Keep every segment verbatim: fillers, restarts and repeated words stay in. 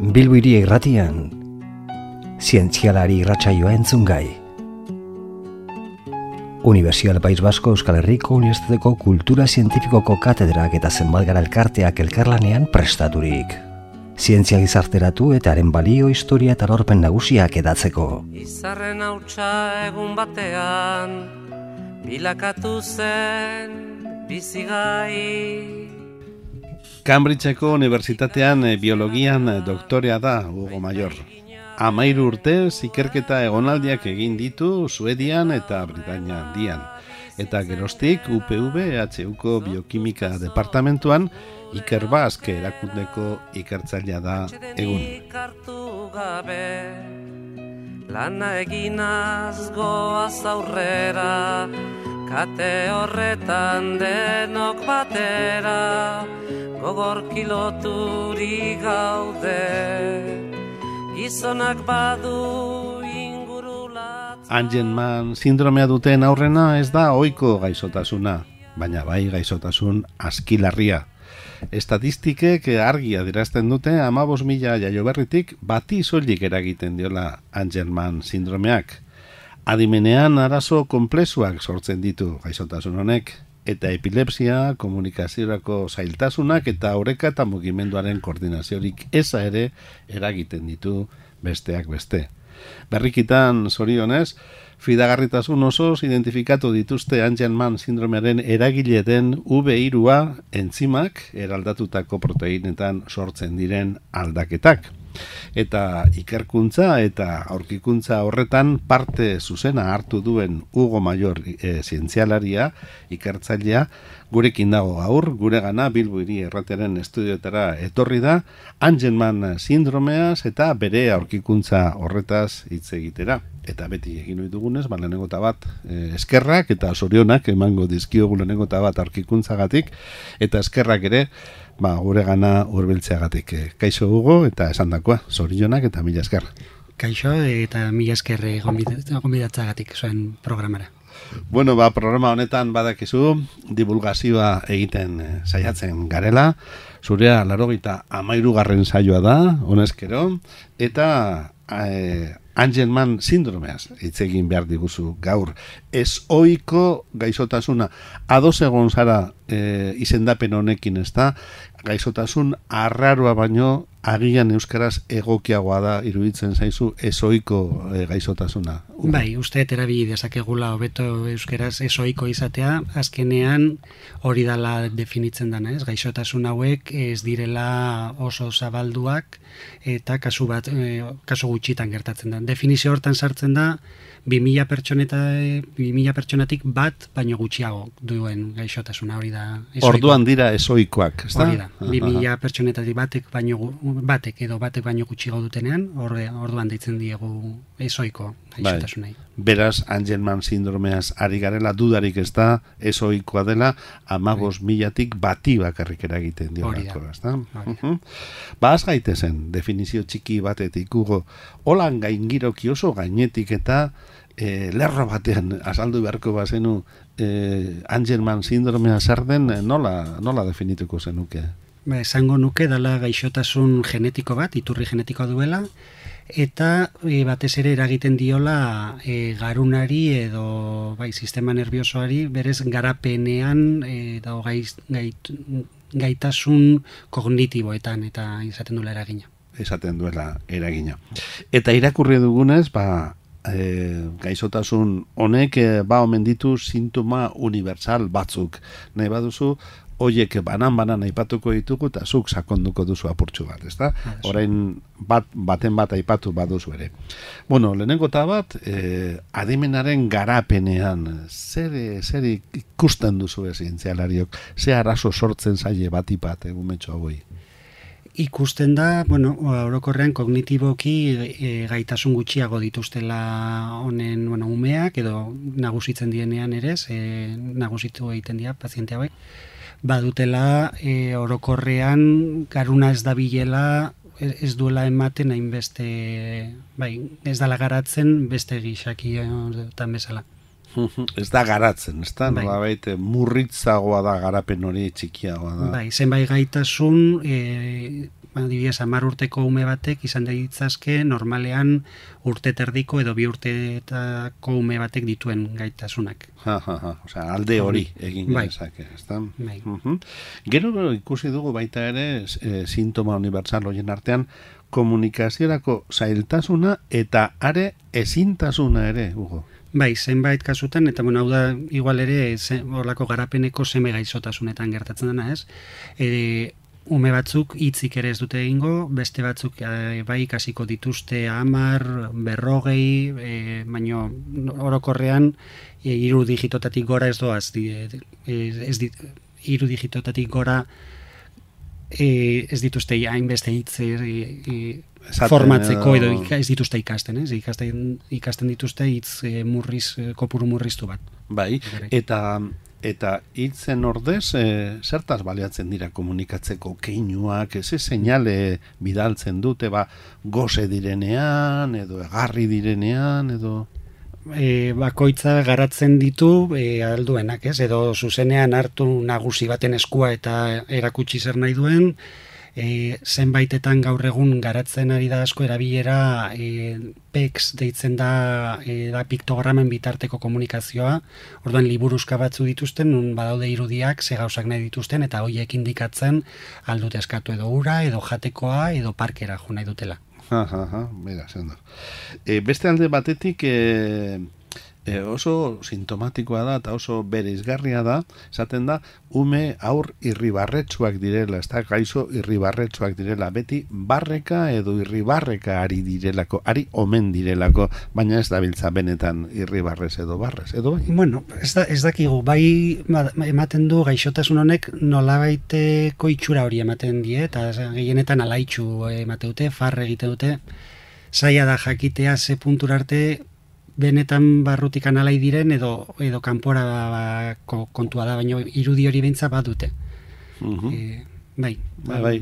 Bilbo Hiri Irratian, zientzialari irratsaioa entzungai. Unibertsial País Basko Euskal Herriko Unibertsitateko Kultura Zientifikoko katedrak eta zenbat elkarteak elkarlanean prestaturik. Zientzia gizarteratu eta haren balio, historia eta lorpen nagusiak edatzeko. Izarren hautsa egun batean, bilakatu zen bizigai. Cambridgeko Unibertsitatean biologian doktorea da Hugo Mayor. Hamairu urtez ikerketa egonaldiak egin ditu Suedian eta Britainia Handian. Eta geroztik U P V H Uko biokimika departamentuan Iker Baske erakundeko ikertzailea da egun. Lana eginaz goaz aurrera, kate horretan denok batera, gogor kiloturi gaude, gizonak badu ingurulat. Angelman sindromea duten aurrena ez da ohiko gaixotasuna, baina bai gaixotasun askilarria. Estatistikek argi adierazten dute hamabost mila jaioberritik bati soilik eragiten diola Angelman sindromeak. Adimenean arazo konplexuak sortzen ditu gaixotasun honek, eta epilepsia, komunikaziorako zailtasunak eta oreka eta mugimenduaren koordinaziorik eza ere eragiten ditu besteak beste. Berrikitan, zorionez, fidagarritasun osoz identifikatu dituzte Angelman sindromearen eragile den U B hirua entzimak eraldatutako proteinetan sortzen diren aldaketak. Eta ikerkuntza eta aurkikuntza horretan parte zuzena hartu duen Hugo Mayor e, zientzialaria, ikertzailea, gurekin dago gaur, guregana Bilbo Hiri Irratiaren estudioetara etorri da, Angelman sindromeaz eta bere aurkikuntza horretaz hitz egitera. Eta beti egin ohi dugunez, ba lehenengo eta bat e, eskerrak eta zorionak emango dizkiogu lehenengo eta bat aurkikuntzagatik, eta eskerrak ere ba guregana hurbiltzeagatik. E, kaixo Hugo eta esandakoa, zorionak eta mila esker. Kaixo eta mila esker gonbidatzagatik zuen programara. Bueno, ba, programa honetan badakizu, divulgazioa egiten e, saiatzen garela, zurea laurogeita hamairugarren saioa da, honezkero, eta e, Angelman sindromeaz hitz egin behar diguzu gaur. Ez ohiko gaixotasuna. Ados egon zara e, izendapen honekin, ez da? Gaixotasun arraroa baino agian euskaraz egokiagoa da iruditzen zaizu ez ohiko e, gaixotasuna. Bai, uste erabi dezakegula hobeto euskaraz ez ohiko izatea, azkenean hori dala definitzen dana, ez? Gaixotasun hauek ez direla oso zabalduak eta kasu bat e, kasu gutxitan gertatzen da. Definizio hortan sartzen da bi mila pertsoneta bi mila pertsonatik bat baino gutxiago duen gaixotasuna, hori da. Orduan dira ezoikoak, ezta? Hori da. bi mila pertsonetatik batek baino batek edo batek baino gutxiago dutenean, orde, orduan deitzen diegu ezoiko gaixotasunai. Bai. Beraz, Angelman sindromeaz ari garela dudarik ez da ezoikoa dela hamabost milatik bati bakarrik eragiten diolako, ezta? Uh-huh. Ba, az gaitezen definizio txiki batetik, Hugo, holan gaingiroki oso gainetik eta E, lerro batean azaldu beharko bazenu e, Angelman sindromea zer den, nola, nola definituko zenuke? Ba, esango nuke dala gaixotasun genetiko bat, iturri genetikoa duela, eta e, batez ere eragiten diola e, garunari edo bai, sistema nerviosoari berez garapenean e, dago gaiz, gait, gaitasun kognitiboetan eta izaten duela eragina. Esaten duela eragina. Eta irakurri dugunez, ba, E, gaixotasun honek e, ba omen ditu sintoma universal batzuk. Nahi baduzu, hoiek banan-banan aipatuko ditugu eta zuk sakonduko duzu apurtxu bat, ezta? Orain bat, baten bat aipatu baduzu ere. Bueno, lehenengo eta bat, e, adimenaren garapenean, zer, zer ikusten duzu zientzialariok, ze arazo sortzen zaie batipat egumetxo hauei? Ikusten da, bueno, orokorrean kognitiboki e, gaitasun gutxiago dituztela honen, bueno, umeak edo nagusitzen dienean ere, e, nagusitu egiten dira paziente hauek, badutela e, orokorrean garuna ez dabilela, ez duela ematen hainbeste, bai, ez dala garatzen beste gixaki tan bezala. Ez da garatzen, ez da? Bai. Nolabait murritzagoa da garapen hori, txikiagoa da. Bai, zenbait gaitasun, e, adibidez, hamar urteko ume batek izan ditzazke normalean urte terdiko edo bi urteetako ume batek dituen gaitasunak. Ha, ha, ha. Osea, alde hori egin Bai. genezake, ez da? Bai. Mhm. Gero ikusi dugu baita ere e, sintoma universal horien artean komunikaziorako zailtasuna eta are ezintasuna ere, Hugo. Bai, zenbait kasutan, eta bueno, hau da igual ere ze, horlako garapeneko seme gaixotasunetan gertatzen dena, ez? E, ume batzuk hitzik ere ez dute egingo, beste batzuk e, bai ikasiko dituzte hamar, berrogei, e, baino orokorrean e, hiru digitotatik gora ez doaz, di, e, ez dit, hiru digitotatik gora e, ez dituzte hainbeste hitz e, e, formatzeko edo ez dituzte ikasten, ez? Ikasten, ikasten dituzte hitz e, murriz, e, kopuru murriztu bat. Bai, eta eta hitzen ordez, e, zertaz baliatzen dira komunikatzeko keinuak, ez seinale bidaltzen dute, ba, goze direnean, edo egarri direnean, edo... E, bakoitza garatzen ditu e, alduenak, ez? Edo zuzenean hartu nagusi baten eskua eta erakutsi zer nahi duen, e, zenbaitetan gaur egun garatzen ari da asko erabilera e, P E X deitzen da, e, da piktogramen bitarteko komunikazioa, orduan liburuzka batzu dituzten, nun badaude irudiak, ze gauzak nahi dituzten, eta horiek indikatzen aldute eskatu edo ura, edo jatekoa, edo parkera jo nahi dutela. Ha, ha, ha, bera, zendo. E, beste alde batetik e, e, oso sintomatikoa da eta oso bereizgarria da, esaten da, ume aur irribarretsuak direla, ez da, gaizo irribarretsuak direla, beti barreka edo irribarreka ari direlako, ari omen direlako, baina ez dabiltza benetan irribarrez edo barrez, edo bai? Bueno, ez, da, ez dakigu, bai ematen du gaixotasun honek nolabaiteko itxura hori ematen die, eta gehienetan alaitxu ematen dute, farre egiten dute, zaila da jakitea ze puntura arte benetan barrutikan alai diren edo edo kanpora ba, kontua da, baina irudi hori beintza badute. Uh-huh. E, bai, bai, bai.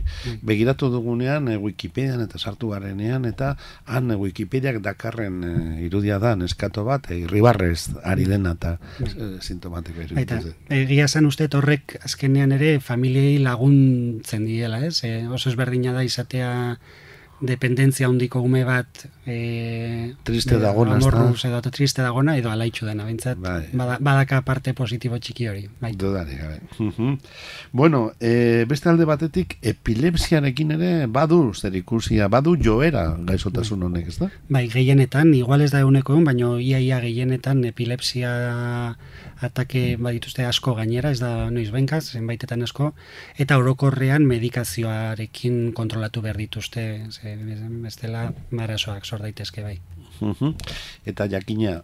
Begiratu dugunean e, Wikipedian eta sartu garenean eta han e, Wikipediak dakarren e, irudia da neskato bat, e, irribarrez ari dena eta e, sintomatiko irudia. Egia zen uste horrek azkenean ere familiei laguntzen diela, ez? E, oso ezberdina da izatea dependentzia handiko ume bat e, triste dagona, amorruz edo triste dagona edo alaitxu dena, bintzat bai. bada, badaka parte positibo txiki hori. Bai. Dudari, gabe. Uh-huh. Bueno, e, beste alde batetik epilepsiarekin ere badu zerikusia, badu joera gaixotasun honek, ez da? Bai, gehienetan, igual ez da eguneko egun, baina iaia gehienetan epilepsia atake badituzte asko gainera, ez da noiz benkaz, zenbaitetan asko, eta orokorrean medikazioarekin kontrolatu behar dituzte, ze, bestela marasoak sor daitezke bai. Uh-huh. Eta jakina,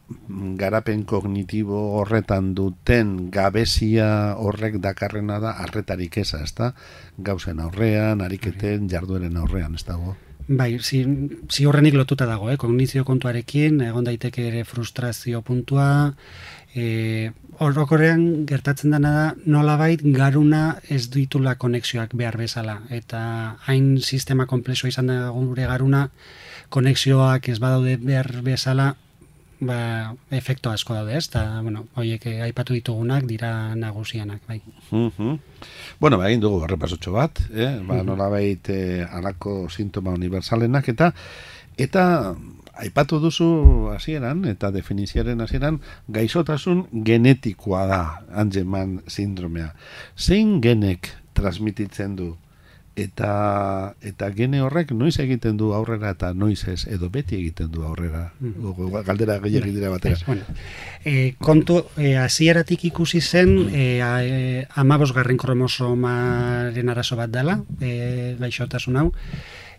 garapen kognitibo horretan duten gabezia horrek dakarrena da arretarik eza, ez da? Gauzen aurrean, ariketen, jardueren aurrean, ez dago? Bai, zi, ziurrenik lotuta dago, eh? Kognizio kontuarekin, egon daiteke ere frustrazio puntua, e, orokorrean gertatzen dena da nolabait garuna ez ditula konexioak behar bezala, eta hain sistema komplexoa izan da gure garuna, konexioak ez badaude behar bezala, ba, efekto asko daude, ez? Eta, bueno, horiek aipatu ditugunak dira nagusianak, bai. Uh-huh. Bueno, ba, egin dugu barrepasotxo bat, eh? Ba, nolabait eh, alako sintoma universalenak, eta eta aipatu duzu hasieran eta definizioaren hasieran gaixotasun genetikoa da Angelman sindromea. Zein genek transmititzen du? Eta eta gene horrek noiz egiten du aurrera eta noiz ez, edo beti egiten du aurrera. Mm. Galdera gehiagik dira batera. Bueno, e, kontu, hasieratik e, ikusi zen e, e, amabosgarren kromosomaren arazo bat dela, e, gaixotasun hau,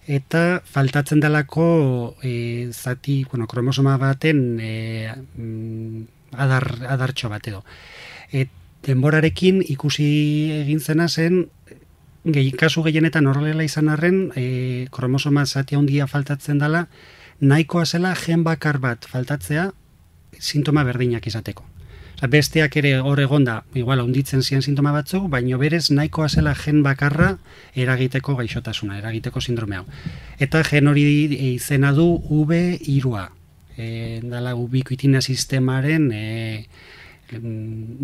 eta faltatzen delako e, zati, bueno, kromosoma baten e, adar, adartxo bat edo. E, denborarekin ikusi egin zena zen, gehi, kasu gehienetan horrela izan arren, e, kromosoma zati handia faltatzen dela, nahikoa zela gen bakar bat faltatzea sintoma berdinak izateko. Osa, besteak ere hor egonda, igual handitzen ziren sintoma batzuk, baino berez nahikoa zela gen bakarra eragiteko gaixotasuna, eragiteko sindrome hau. Eta gen hori izena du V hiru A. e, dala ubiquitina sistemaren e,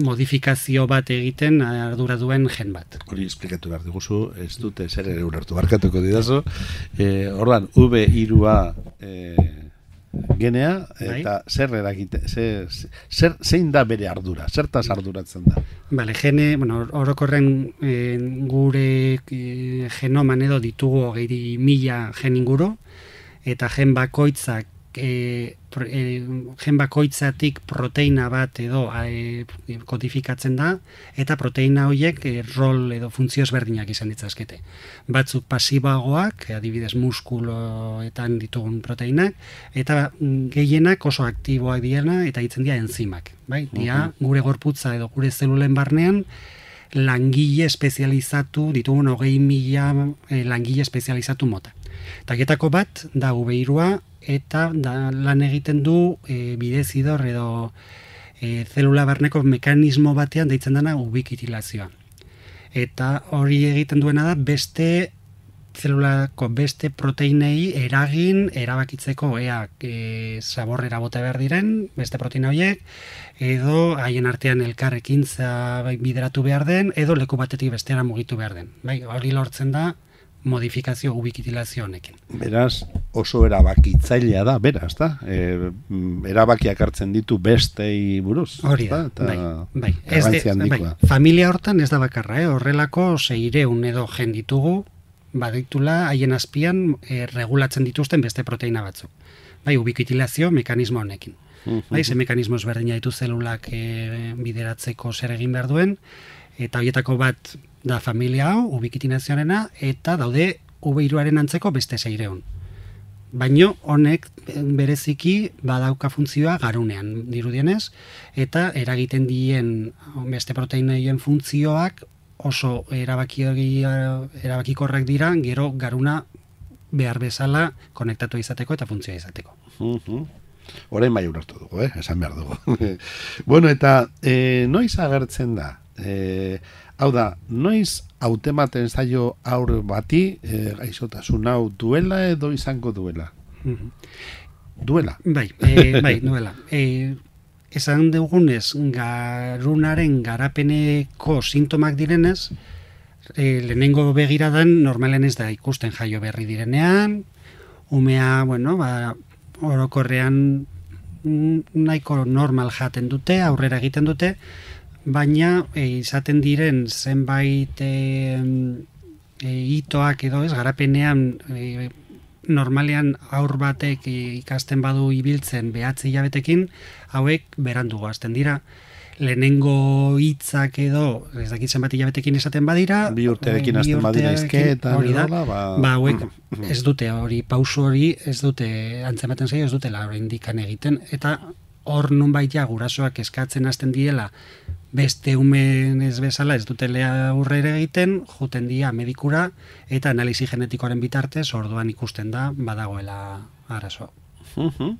modifikazio bat egiten ardura duen gen bat. Hori esplikatu behar diguzu, ez dute zer ere ulertu barkatuko didazu. E, Ordan, V hirua e, genea, eta bai? zer eragite, zer, zer, zein da bere ardura, zertaz arduratzen da? Bale, gene, bueno, orokorren e, gure e, genoman edo ditugu hogei mila gen inguru, eta gen bakoitzak E, e, gen bakoitzatik proteina bat edo e, kodifikatzen da, eta proteina horiek e, rol edo funtzio ezberdinak izan ditzazkete. Batzuk pasiboagoak, adibidez muskuloetan ditugun proteinak, eta gehienak oso aktiboak diena eta hitzen dira enzimak. Bai? Dia, gure gorputza edo gure zelulen barnean langile espezializatu, ditugun hogei mila e, langile espezializatu mota. Tagetako bat da V hirua, eta da, lan egiten du e, bidezidor edo e, zelula barneko mekanismo batean deitzen dena ubiquitilazioa. Eta hori egiten duena da beste zelulako beste proteinei eragin erabakitzeko ea e, zaborrera bota behar diren beste proteina horiek, edo haien artean elkarrekintza bideratu behar den, edo leku batetik bestera mugitu behar den. Bai, hori lortzen da modifikazio ubiquitilazio honekin. Beraz, oso erabakitzailea da, beraz, da? E, erabakiak hartzen ditu bestei buruz. Hori da, bai, bai. Ez de, bai. Familia hortan ez da bakarra, eh? Horrelako seireun edo gen ditugu, baditula haien azpian e, regulatzen dituzten beste proteina batzuk. Bai, ubiquitilazio mekanismo honekin. Uh-huh. Bai, ze mekanismo ezberdina ditu zelulak e, bideratzeko zer egin behar duen, eta horietako bat da familia hau, ubiquitinazioarena, eta daude V hiruaren antzeko beste seireun. Baino honek bereziki badauka funtzioa garunean, dirudienez, eta eragiten dien beste proteinoien funtzioak oso erabaki, erabakikorrak dira, gero garuna behar bezala konektatu izateko eta funtzioa izateko. Uh-huh. Orain bai ulertu dugu, eh? Esan behar dugu. Bueno, eta e, noiz agertzen da? E, hau da, noiz hautematen zaio aur bati e, gaixotasun hau duela edo izango duela? Uh-huh. Duela? Bai, e, bai, duela. E, esan dugunez, garunaren garapeneko sintomak direnez, e, lehenengo begiradan normalen ez da ikusten jaio berri direnean, umea, bueno, ba, orokorrean nahiko normal jaten dute, aurrera egiten dute, baina e, izaten diren zenbait e, e, itoak edo ez, garapenean e, normalean aur batek e, ikasten badu ibiltzen behatzi hilabetekin, hauek berandu goazten dira. Lehenengo hitzak edo, ez dakitzen bat hilabetekin esaten badira, bi urterekin hasten badira izketan, hori da, ba, ba hauek ez dute hori, pausu hori ez dute, antzematen zaio ez dutela hori indikan egiten, eta hor nunbait ja gurasoak eskatzen hasten diela beste umen ez bezala ez dutela aurrera egiten, juten dia medikura eta analisi genetikoaren bitartez orduan ikusten da badagoela arazo. Uh-huh.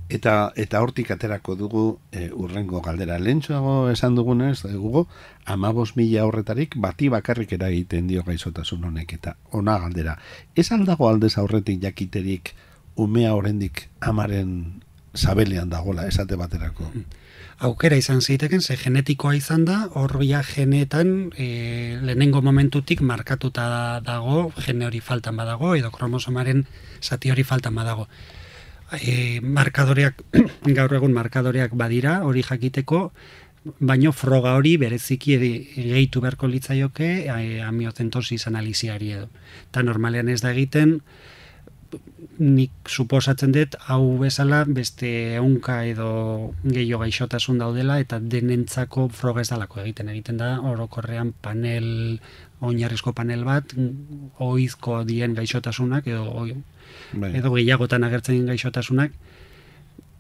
Eta eta hortik aterako dugu e, urrengo galdera. Lehentxoago esan dugunez, dugu hamabost mila horretarik bati bakarrik eragiten dio gaixotasun honek, eta ona galdera. Ez aldago aldez aurretik jakiterik umea oraindik amaren sabelean dagola, esate baterako? Aukera izan ziteken, ze genetikoa izan da, horbia genetan e, lehenengo momentutik markatuta dago, gene hori faltan badago, edo kromosomaren zati hori faltan badago. E, markadoreak, gaur egun markadoreak badira, hori jakiteko, baino froga hori bereziki gehitu beharko litzaioke e, amiozentosis analiziari edo. Eta normalean ez da egiten, nik suposatzen dut hau bezala beste ehunka edo gehiago gaixotasun daudela eta denentzako froga ez dalako egiten egiten da orokorrean panel, oinarrizko panel bat oizko dien gaixotasunak edo oi, edo gehiagotan agertzen gaixotasunak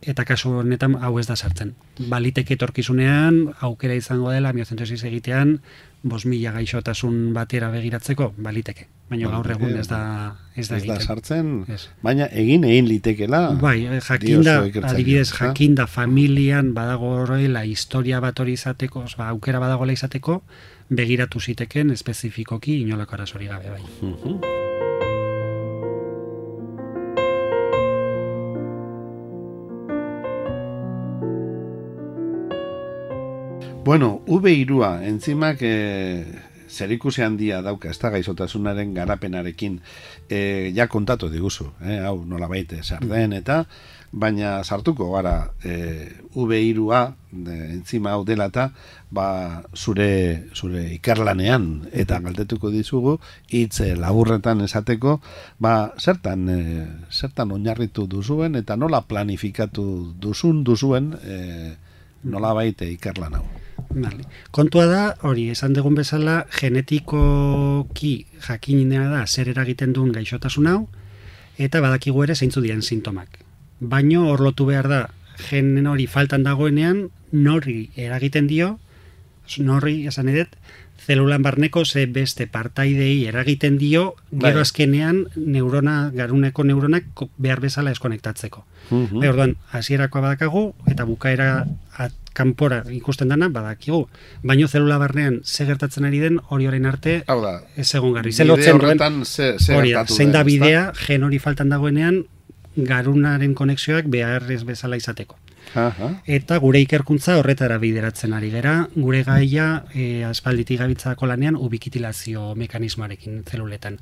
eta kasu honetan hau ez da sartzen. Baliteke etorkizunean aukera izango dela amiozentosis egitean bost mila gaixotasun batera begiratzeko, baliteke. Baina gaur egun ez da ez da, ez da sartzen, ez. Baina egin egin litekela. Bai, jakinda, adibidez jakinda familian badago horrela historia bat hori izateko, ba, aukera badagoela izateko, begiratu ziteken espezifikoki inolako arazorik gabe bai. Uh-huh. Bueno, U B hiru entzimak e, zerikusi handia dauka, ez da gaixotasunaren garapenarekin, e, ja kontatu diguzu, eh? Hau nola baite zer den eta, baina sartuko gara e, U B hiru entzima hau dela eta ba, zure, zure ikerlanean eta galdetuko dizugu hitz laburretan esateko ba, zertan, e, zertan oinarritu duzuen eta nola planifikatu duzun duzuen e, nola baite ikerlan hau. Vale. Kontua da, hori, esan dugun bezala, genetikoki jakinina da zer eragiten duen gaixotasun hau, eta badakigu ere zeintzu diren sintomak. Baino hor lotu behar da, gen hori faltan dagoenean, nori eragiten dio, nori, esan edet, zelulan barneko ze beste partaidei eragiten dio, gero azkenean neurona, garuneko neuronak behar bezala eskonektatzeko. Uh-huh. Bai, orduan, hasierakoa badakagu, eta bukaera at, kanpora ikusten dana badakigu. Baino zelula barnean ze gertatzen ari den hori orain arte ez egon garri. Ze lotzen duen, hori da, zein da bidea, gen hori faltan dagoenean, garunaren konexioak behar ez bezala izateko. Aha. Eta gure ikerkuntza horretara bideratzen ari gera, gure gaia e, aspalditik gabitzako lanean ubikitilazio mekanismoarekin zeluletan.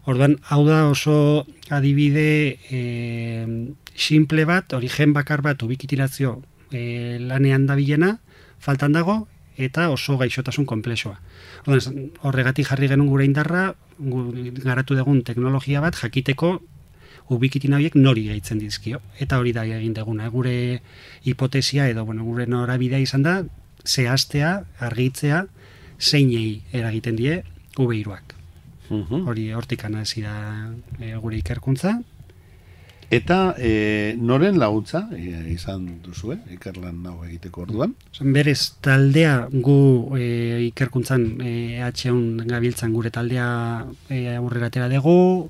Orduan, hau da oso adibide e, simple bat, hori gen bakar bat ubikitilazio e, lanean dabilena, faltan dago, eta oso gaixotasun konplexoa. Orduan, horregatik jarri genuen gure indarra, garatu dugun teknologia bat, jakiteko ubikitin horiek nori gaitzen dizkio. Eta hori da egin deguna. Gure hipotesia edo bueno, gure norabidea izan da, zehaztea, argitzea, zeinei eragiten die U B hiruak. Uh-huh. Hori hortikan hasi da e, gure ikerkuntza. Eta e, noren laguntza e, izan duzue, ikerlan hau egiteko orduan? Berez, taldea gu e, ikerkuntzan e, H un gabiltzan gure taldea e, aurrera atera dugu,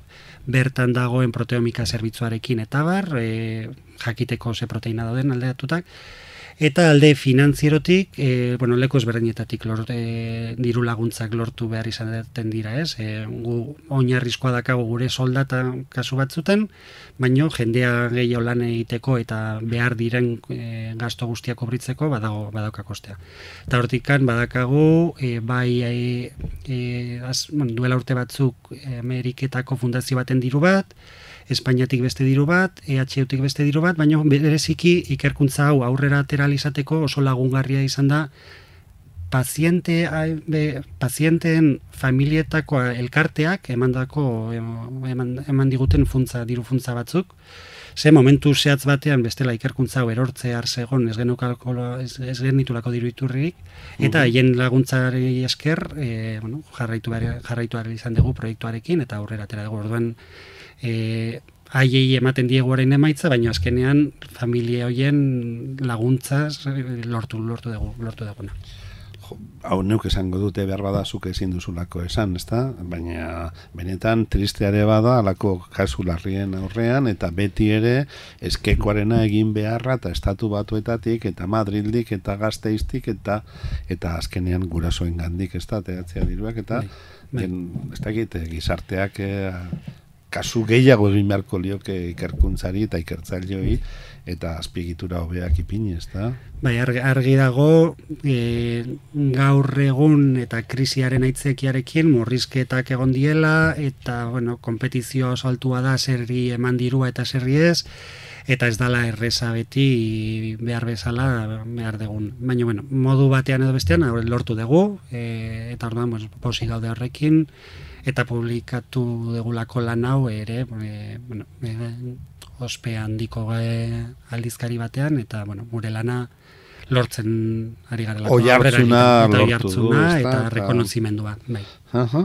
bertan dagoen proteomika zerbitzuarekin eta bar, e, jakiteko ze proteina dauden aldeatutak, eta alde finantzierotik, e, bueno, leku ezberdinetatik lor, e, diru laguntzak lortu behar izaten dira, ez? E, gu oinarrizkoa dakago gure soldata kasu batzuten, baino jendea gehiago lan egiteko eta behar diren e, gasto guztiak kobritzeko badago badauka kostea. Eta hortikan badakagu e, bai e, e, az, bueno, duela urte batzuk e, Ameriketako fundazio baten diru bat, Espainiatik beste diru bat, E H Utik beste diru bat, baina bereziki ikerkuntza hau aurrera atera izateko oso lagungarria izan da paziente, be, pazienteen familietako elkarteak emandako eman, eman diguten funtza, diru funtza batzuk. Ze momentu zehatz batean bestela ikerkuntza hau erortze arsegon ez genukako ez, ez genitulako diru iturririk eta haien uh-huh. laguntzari esker e, bueno, jarraitu behar, jarraitu behar izan dugu proiektuarekin eta aurrera atera dugu. Orduan E, haiei ematen diegu orain emaitza, baina azkenean familia hoien laguntzaz lortu lortu dugu, lortu duguna. Hau neuk esango dute behar bada zuk ezin duzulako esan, ezta? Baina benetan tristeare bada alako kasu larrien aurrean eta beti ere eskekoarena egin beharra eta estatu batuetatik eta Madrildik eta Gasteiztik eta eta azkenean gurasoen gandik, ezta? Teatzea diruak eta den, ez dakit gizarteak e, kasu gehiago egin beharko lioke ikerkuntzari eta ikertzaileoi eta azpiegitura hobeak ipini, ezta? Bai, argi, argi dago e, gaur egun eta krisiaren aitzakiarekin murrizketak egon diela eta bueno, konpetizio oso altua da zerri eman dirua eta zerri ez eta ez dala erreza beti behar bezala behar degun. Baina, bueno, modu batean edo bestean lortu dugu e, eta orduan pues, posi gaude horrekin eta publikatu degulako lan hau ere e, bueno, e, ospe handiko e, aldizkari batean eta bueno, gure lana lortzen ari garelako. Oihartzuna lortu du, eta, eta rekonozimendua. Bai. Uh-huh.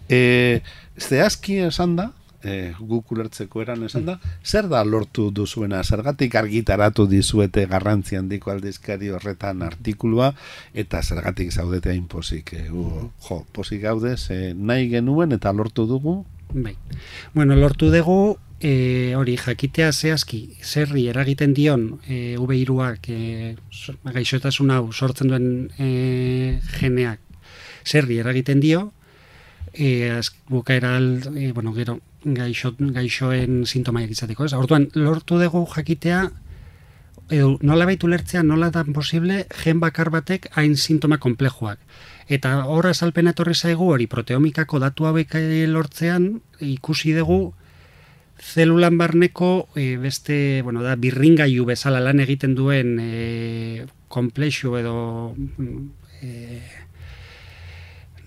E, zehazki esan da, e, guk ulertzeko eran esan da, zer da lortu duzuena, zergatik argitaratu dizuete garrantzi handiko aldizkari horretan artikulua, eta zergatik zaudete hain pozik, e, u, jo, pozik gaude, ze nahi genuen eta lortu dugu? Bai. Bueno, lortu dugu, e, hori jakitea zehazki, zerri eragiten dion e, U B hiruak e, gaixotasun hau sortzen duen e, geneak zerri eragiten dio, e, az, bukaera, e, bueno, gero, gaixo, gaixoen sintomaiak izateko, ez? Orduan, lortu dugu jakitea edo nolabait ulertzea nola da posible gen bakar batek hain sintoma konplexuak. Eta hor azalpena etorri zaigu hori proteomikako datu hauek lortzean ikusi dugu zelulan barneko e, beste, bueno, da birringailu bezala lan egiten duen e, konplexu edo e,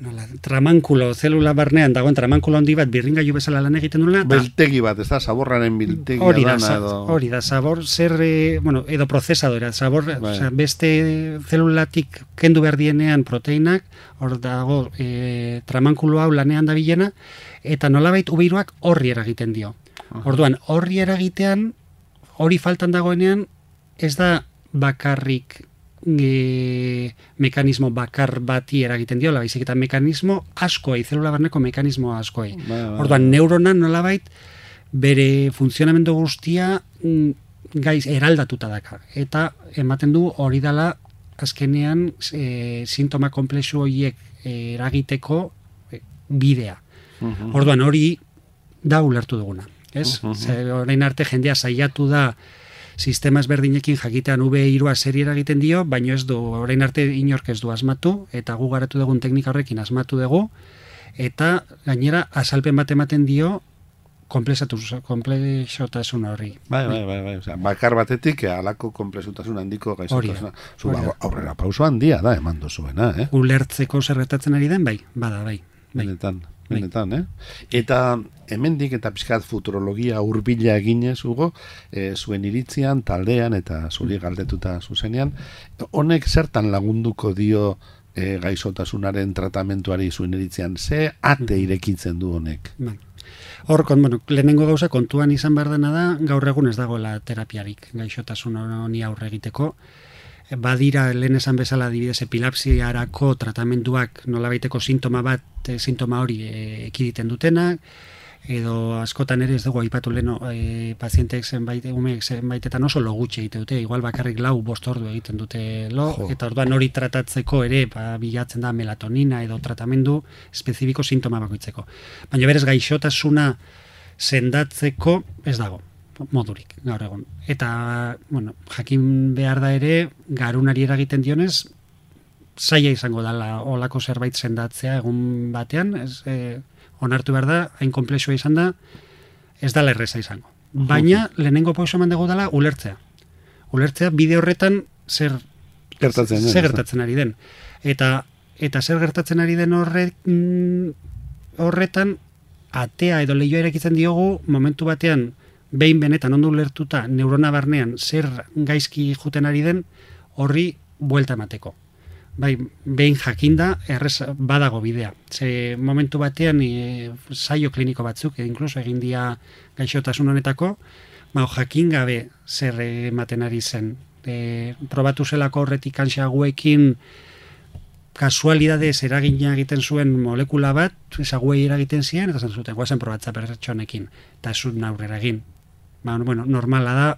nola, tramankulo, zelula barnean dagoen tramankulo handi bat birringailu bezala lan egiten duela. Biltegi bat, ez da, zaborraren biltegia hori da, dana edo... Hori da, zabor, zer, e, bueno, edo prozesadora, zabor, bai. Osea, beste zelulatik kendu behar dienean proteinak, hor dago e, tramankulo hau lanean da bilena, eta nolabait ubeiruak horri eragiten dio. Orduan, horri eragitean, hori faltan dagoenean, ez da bakarrik e, mekanismo bakar bati eragiten diola, baizik eta mekanismo askoei, zelula barneko mekanismo askoei. Ba, ba, Orduan, neurona nolabait bere funtzionamendu guztia mm, gaiz eraldatuta daka. Eta ematen du hori dela azkenean e, sintoma komplexu horiek eragiteko e, bidea. Uh-huh. Orduan, hori da ulertu duguna. Ez? Uh-huh. Ze, orain arte jendea saiatu da sistema ezberdinekin jakitean V hiru seri eragiten dio, baino ez du, orain arte inork ez du asmatu, eta gu garatu dugun teknika horrekin asmatu dugu, eta gainera azalpen bat ematen dio komplexotasun horri. Bai, bai, bai, bai. Osea, bakar batetik halako komplexutasun handiko gaixotasuna. Zu aurrera pauso handia da eman duzuena, eh? Ulertzeko zer gertatzen ari den, bai, bada, bai. bai. Benetan, benetan, eh? Eta hemendik eta pixkat futurologia hurbila eginez, Hugo, e, zuen iritzian, taldean eta zuri galdetuta zuzenean, honek zertan lagunduko dio e, gaixotasunaren tratamentuari zuen iritzian, ze ate irekitzen du honek? Bai. Hor, kon, bueno, lehenengo gauza kontuan izan behar dena da, gaur egun ez dagoela terapiarik gaixotasun honi aurre egiteko. Badira, lehen esan bezala, adibidez, epilepsiarako tratamenduak nolabaiteko sintoma bat, e, sintoma hori e, ekiditen dutenak, edo askotan ere ez dugu aipatu leno e, pazienteek zenbait, umeek zenbaitetan oso lo gutxi egite dute, igual bakarrik lau bost ordu egiten dute lo, jo. Eta orduan hori tratatzeko ere ba, bilatzen da melatonina edo tratamendu espezifiko sintoma bakoitzeko. Baina berez gaixotasuna sendatzeko ez dago modurik gaur egon. Eta, bueno, jakin behar da ere, garunari eragiten dionez, zaila izango dela olako zerbait sendatzea egun batean, ez, e, onartu behar da, hain komplexua izan da, ez dala erreza izango. Baina, lehenengo pauso eman dugu dela, ulertzea. Ulertzea, bide horretan, zer gertatzen, zer gertatzen ari den. Eta, eta zer gertatzen ari den horre, horretan, atea edo lehioa erekitzen diogu, momentu batean, behin benetan ondo ulertuta neurona barnean zer gaizki juten ari den horri buelta emateko. Bai, behin jakinda errez badago bidea. Ze momentu batean e, saio kliniko batzuk, e, inkluso egin dia gaixotasun honetako, ba, jakin gabe zer ematen ari zen. E, probatu zelako horretik kanxaguekin kasualidadez eragina egiten zuen molekula bat, ezaguei eragiten ziren, eta zan zuten, guazen probatza pertsonekin, eta ez zuten aurrera egin. Ba, bueno, normala da,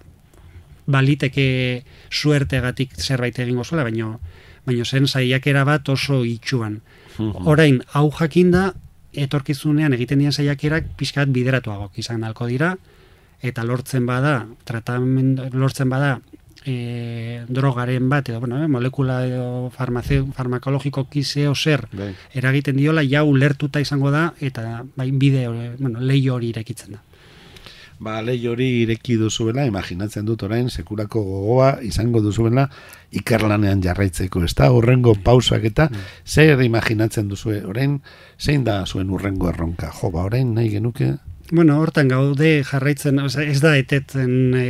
baliteke suertegatik zerbait egingo zuela, baino, baino zen saiakera bat oso itxuan. Orain, hau jakinda, etorkizunean egiten dian saiakerak pixkat bideratuagok izan halko dira, eta lortzen bada, tratamendu, lortzen bada, E, drogaren bat edo bueno, eh, molekula edo farmakologiko kiseo zer Bai. eragiten diola ja ulertuta izango da eta bai bide bueno, leio hori irekitzen da. Ba, leio hori ireki duzuela, imaginatzen dut orain sekulako gogoa izango duzuela ikerlanean jarraitzeko, ez da? Urrengo pausak eta mm. zer imaginatzen duzue orain, zein da zuen urrengo erronka? Jo, ba, orain nahi genuke? Bueno, hortan gaude jarraitzen, oza, ez da etetzen e,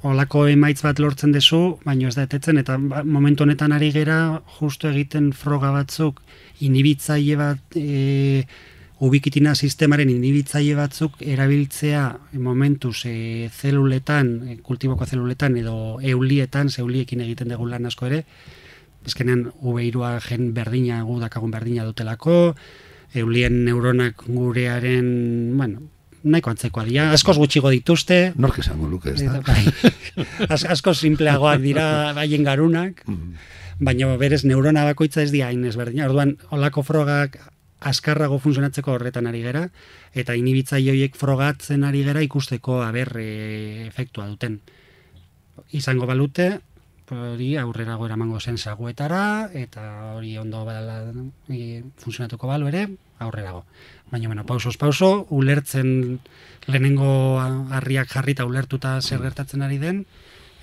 olako emaitz bat lortzen dezu, baina ez da etetzen, eta momentu honetan ari gera justu egiten froga batzuk, inhibitzaile bat, e, ubikitina sistemaren inhibitzaile batzuk erabiltzea momentuz e, zeluletan, e, kultiboko zeluletan edo eulietan, zeuliekin egiten dugu lan asko ere, ezkenean V hirua gen berdina, gu dakagun berdina dutelako, eulien neuronak gurearen, bueno, nahiko antzekoa dira, askoz gutxigo dituzte. Nork esango luke, ez da? Bai, askoz simpleagoak dira haien garunak, baina berez neurona bakoitza ez dira hain ezberdina. Orduan, olako frogak azkarrago funtzionatzeko horretan ari gera, eta inhibitzaile horiek frogatzen ari gera ikusteko aber e, efektua duten. izango balute, hori aurrerago eramango zen saguetara, eta hori ondo badala e, funtzionatuko balu ere, aurrerago. Baina, bueno, pausoz pauso, ulertzen lehenengo harriak jarrita ulertuta zer gertatzen ari den,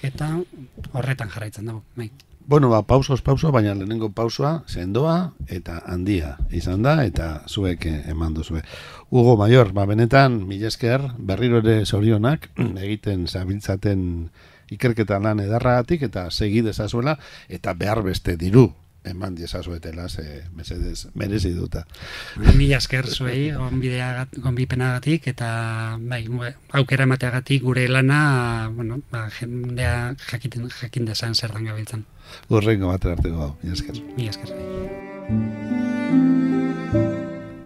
eta horretan jarraitzen dago. Bai. Bueno, ba, pausoz pauso, baina lehenengo pausoa sendoa eta handia izan da, eta zuek eman duzue. Hugo Mayor, ba, benetan, mila esker, berriro ere zorionak, egiten zabiltzaten ikerketa lan edarragatik, eta segi dezazuela, eta behar beste diru eman diezazuetela, ze mesedez merezi duta. Mila esker zuei, gonbipenagatik, eta bai, aukera emateagatik gure lana, bueno, ba, jendea jakin, jakin dezan zer dan gabiltzan. Urrengo bat arteko gau, mila esker. Mila esker.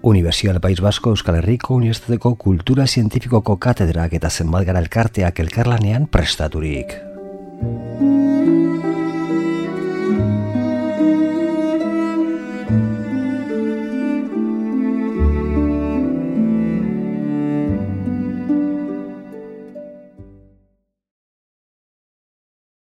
Universidad País Vasco Euskal Herriko Unibertsitateko Kultura Zientifikoko katedrak eta zenbat gara elkarteak elkarlanean prestaturik.